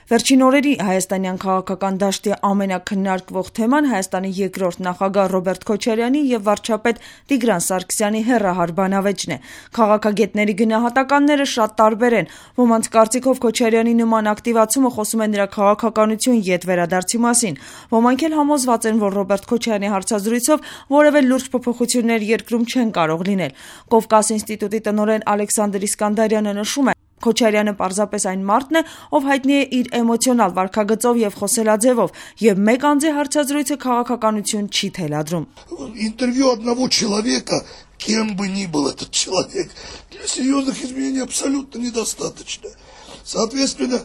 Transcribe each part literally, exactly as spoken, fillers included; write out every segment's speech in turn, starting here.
Վերջին օրերի հայաստանյան քաղաքական դաշտի ամենաքննարկվող թեման Հայաստանի երկրորդ նախագահ Ռոբերտ Քոչարյանի և վարչապետ Տիգրան Սարգսյանի հեռահար բանավեճն է։ Քաղաքագետների գնահատականները շատ տարբեր են։ Ոմանց կարծիքով Քոչարյանի նման ակտիվացումը խոսում է նրա քաղաքականություն ետ վերադարձի մասին։ Ոմանք էլ համոզված են, որ Ռոբերտ Քոչարյանի հարցազրույցով որևէ լուրջ փոփոխություններ երկրում չեն կարող լինել։ Կովկաս ինստիտուտի տնօրեն Ալեքսանդր Իսկանդարյանը նշում է. Քոչարյանը պարզապես այն մարդն է, ով հայտնի է իր էմոցիոնալ վարքագծով և խոսելաձևով, և մեկ անձի հարցազրույցը քաղաքականություն չի թելադրում։ Интервью одного человека, кем бы ни был этот человек, для серьезных изменений абсолютно недостаточно. Соответственно,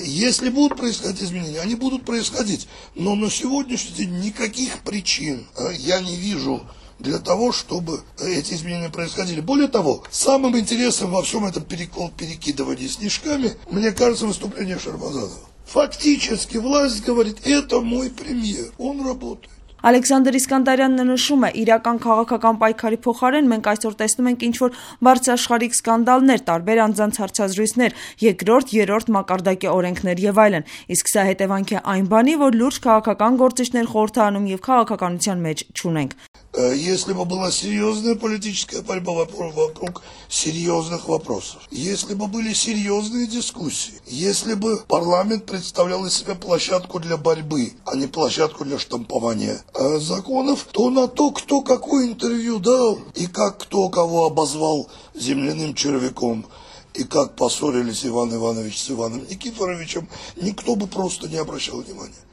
если будут происходить изменения, они будут происходить, но на сегодняшний день никаких причин я не вижу для того, чтобы эти изменения происходили. Более того, самым интересным во всем этом перекидывании снежками, мне кажется, выступление Шармазанова. Фактически власть говорит, это мой премьер, он работает. Ալեքսանդր Իսկանդարյանն նշում է, իրական քաղաքական պայքարի փոխարեն մենք այսօր տեսնում ենք ինչ-որ բարձրաշխարհիկ սկանդալներ, տարբեր անձանց հարցազրույցներ, երկրորդ, երրորդ մակարդակի օրենքներ եւ այլն, իսկ սա հետևանք է այն բանի, որ լուրջ քաղաքական գործիչներ խորհրդանում եւ քաղաքականության մեջ չունենք։ Если бы была серьезная политическая борьба вокруг серьезных вопросов, если бы были серьезные дискуссии, если бы парламент представлял из себя площадку для борьбы, а не площадку для штампования законов, то на то, кто какое интервью дал, и как кто кого обозвал земляным червяком, и как поссорились Иван Иванович с Иваном Никифоровичем, никто бы просто не обращал внимания.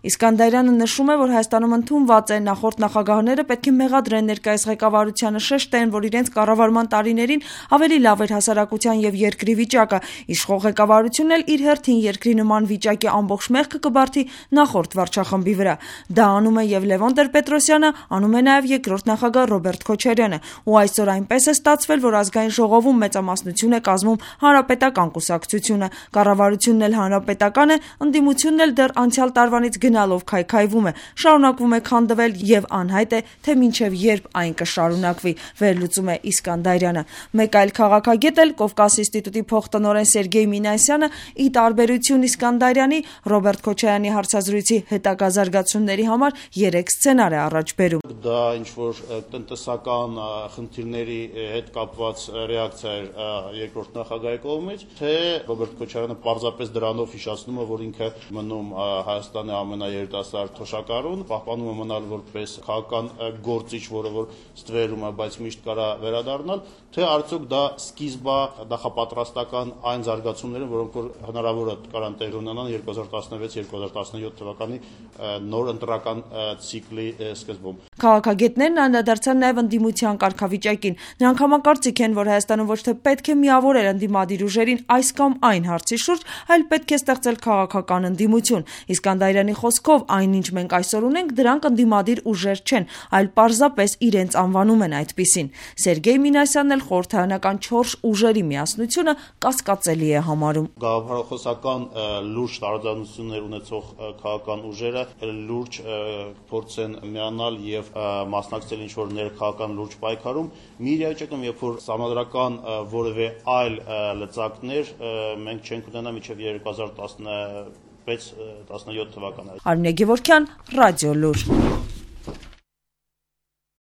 Իսկանդարյանը նշում է, որ Հայաստանում ընդունված է նախորդ նախագահները պետք է մեղադրեն ներկայիս ղեկավարությանը, շեշտեն, որ իրենց կառավարման տարիներին ավելի լավ էր հասարակության եւ երկրի վիճակը, իշխող ղեկավարությունն էլ իր հերթին երկրի նման վիճակի ամբողջ մեղքը կբարթի նախորդ վարչախմբի վրա։ Դա անում է եւ Լևոն Տեր-Պետրոսյանը, անում է նաեւ երկրորդ նախագահ Ռոբերտ Քոչարյանը, ու այսօր այնպես է ստացվել, որ ազգային ժողովում մեծամասնություն է կազմում հանրապետական կուսակցությունը, կառավարությունն էլ հանրապետական է, ընդդիմությունն էլ դեռ անցյալ տարվանից գնալով քայքայվում է, շարունակվում է քանդվել եւ անհայտ է, թե մինչեւ երբ այն կշարունակվի, վերլուծում է Իսկանդարյանը։ Մեկ այլ քաղաքագետ էլ Կովկաս ինստիտուտի փոխտնօրեն Սերգեյ Մինասյանը ի տարբերություն Իսկանդարյանի Ռոբերտ Քոչարյանի հարցազրույցի հետագա զարգացումների համար երեք սցենար է առաջ բերում։ Դա ինչ որ տնտեսական խնդիրների հետ կապված ռեակցիա էր երկրորդ նախագահի կողմից, թե Ռոբերտ Քոչարյանը պարզապես դրանով հիշացնում է, որ ինքը մնում Հայաստանի ամենաերիտասարդ թոշակառուն, պահպանում է մնալ որպես քաղաքական գործիչ, որը որ ստվերում է, բայց միշտ կարա վերադառնալ, թե արդյոք դա սկիզբ է նախապատրաստական այն զարգացումները, որոնք որ հնարավոր է կարան տեղ ունենան երկու հազար տասնվեց երկու հազար տասնյոթ թվականի նոր ընտրական ցիկլի սկզբում։ Քաղաքագետներն անդրադարձան նաև ընդդիմության կարգավիճակին։ Նրանք համակարծիք են, որ Հայաստանում ոչ թե պետք է միավորել ընդդիմադիր ուժերին այս կամ այն հարցի շուրջ, այլ պետք է ստեղծել քաղաքական ընդդիմություն։ Իսկանդարյանի խոսքով այնինչ մենք այսօր ունենք, դրանք ընդդիմադիր ուժեր չեն, այլ պարզապես իրենց անվանում են այդպիսին։ Սերգեյ Մինասյանն էլ խորհրդարանական չորս ուժերի միասնությունը կասկածելի է համարում։ Գաղափարախոսական լուրջ տարաձայնություններ ունեցող քաղաքական ուժերը լուրջ փորձ են միանալ եւ մասնակցել ինչ-որ ներքաղաքական լուրջ պայքարում, մի իրավիճակում, երբ որ համադրական որևէ այլ լծակներ մենք չենք ունենա մինչեւ երկու հազար տասնվեց տասնյոթ թվականը։ Արմինե Գևորգյան, Ռադիո Լուր։